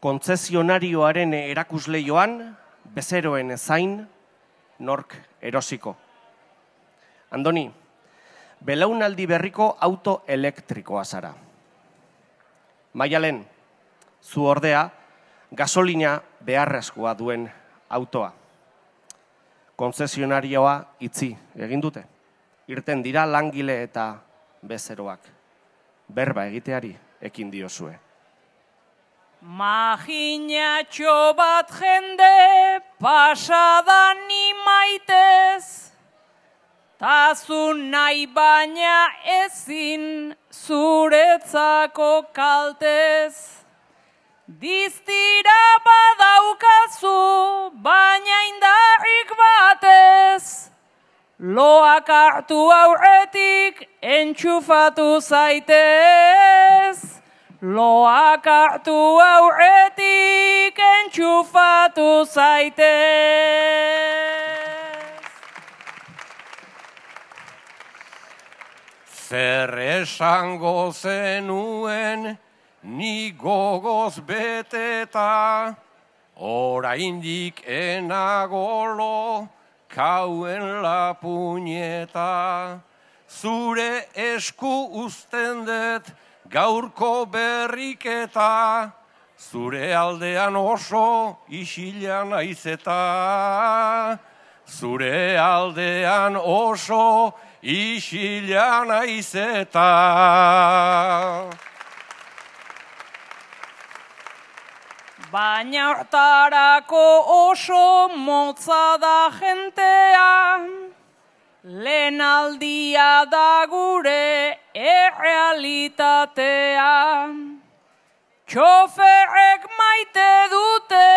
Kontzesionarioaren erakusleioan, bezeroen zain, nork erosiko. Andoni, belaunaldi berriko auto elektrikoa zara. Maialen, zu ordea, gasolina beharrezkoa duen autoa. Kontzesionarioa itzi egin dute. Irten dira langile eta bezeroak. Berba egiteari ekin diozue. Majinatxo bat jende pasadan imaitez, tazu nahi baina ezin zuretzako kaltez. Diztira badaukazu baina indarrik batez, loak hartu aurretik entxufatu zaitez. Loak hartu aurretik entxufatu zaitez. Zer esango zenuen ni gogoz beteta, oraindik enagolo kauen la puñeta. Zure esku uzten dut gaurko berriketa, zure aldean oso isila naizeta. Zure aldean oso isila naizeta. Baina hortarako oso motza da jentea, lehen aldia da gure errealitatea. Txoferrek maite dute,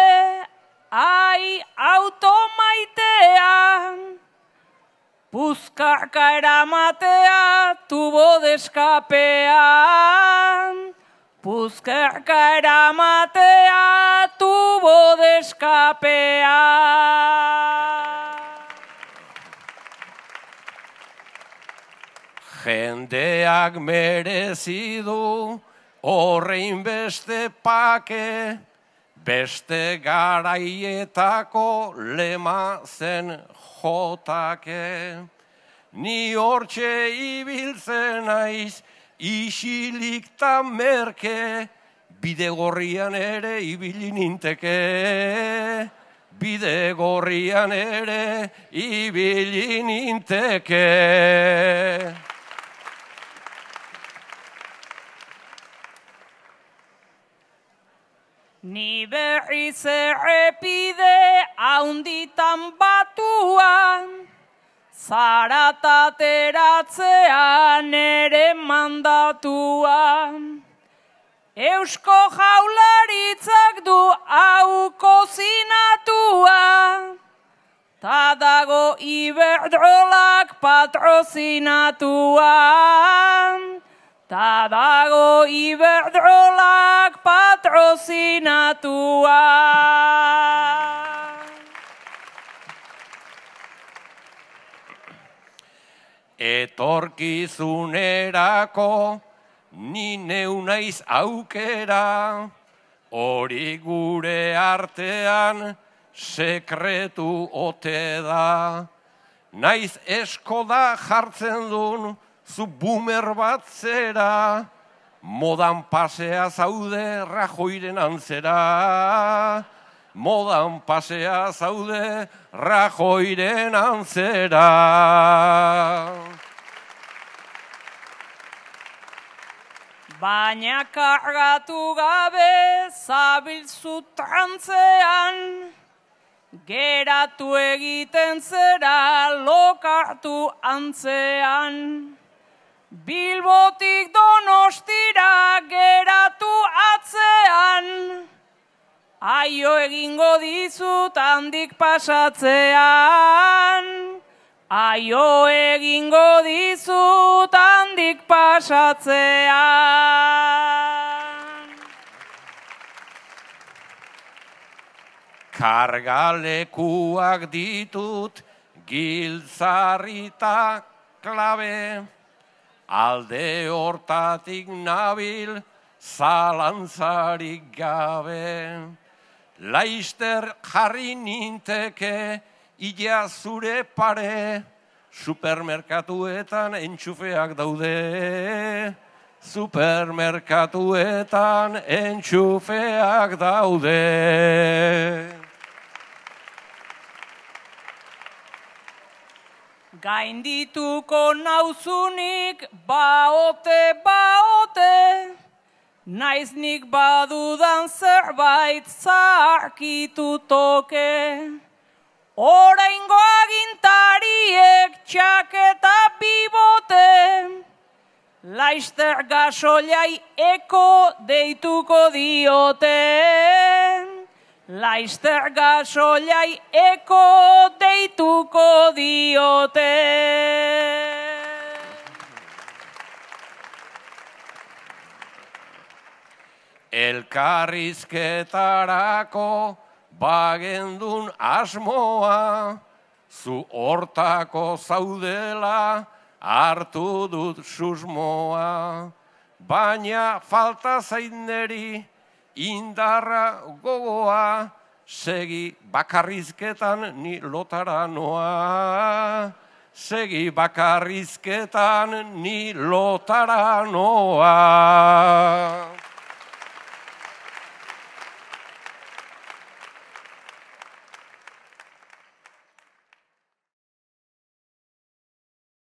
ai auto maitea. Puzkarka eramatea, tubo de escapean. Puzkarka eramatea, tubo de escapean. Jendeak merezi du horrein beste pake, beste garaietako lema zen jotake. Ni hortxe ibiltzen naiz, isilik ta merke, bide gorrian ere ibili ninteke. Bide gorrian ere ibili ninteke. Ni berriz errepide haunditan batuan, zaratateratzea nere mandatuan. Eusko Jaurlaritzak du hau kozinatua, ta dago Iberdrolak patrozinatuan. Ta dago Iberdrolak patrozinatuan. Etorkizunerako ni neu naiz aukera, hori gure artean sekretu ote da. Naiz eskoda jartzen dun zu boomer bat zera, modan pasea zaude Rajoiren antzera. Modan pasea zaude Rajoiren antzera. Baina kargatu gabe zabiltzu trantzean, geratu egiten zera lokartu antzean. Bilbotik Donostira geratu atzean, aio egingo dizut handik pasatzean. Aio egingo dizut handik pasatzean. Kargalekuak ditut giltzarrita klabe, alde hortatik nabil zalantzarik gabe. Laister jarri ninteke, ia zure pare, supermerkatuetan entxufeak daude. Supermerkatuetan entxufeak daude. Gaindituko nauzunik baote, naiz nik badudan zerbait zarkitu toke. Oraingo agintariek txaketa bibote, Laister gasolai eko deituko diote. Laister gasolai eko deituko diote. Elkarrizketarako bagendun asmoa, zu hortako zaudela hartu dut susmoa. Baina falta zaineri indarra gogoa, segi bakarrizketan ni lotara noa. Segi bakarrizketan ni lotara noa.